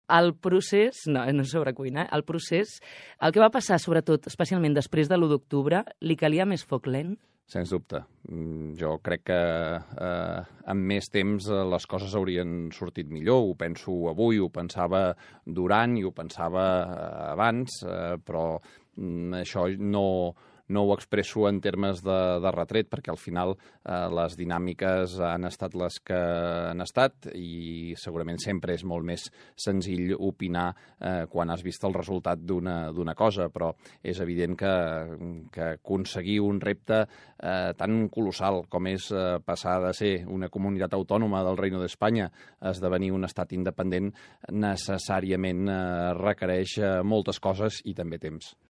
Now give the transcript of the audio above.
el procés, no sobre cuina, el procés, el que va passar, sobretot, especialment després de l'1 d'octubre, li calia més foc lent? Sens dubte. Jo crec que amb més temps les coses haurien sortit millor. Ho penso avui, ho pensava durant i ho pensava abans, però això no ho expresso en termes de retret, perquè al final les dinàmiques han estat les que han estat i segurament sempre és molt més senzill opinar quan has vist el resultat d'una cosa, però és evident que aconseguir un repte tan colossal com és passar de ser una comunitat autònoma del Reino d'Espanya a esdevenir un estat independent necessàriament requereix moltes coses i també temps.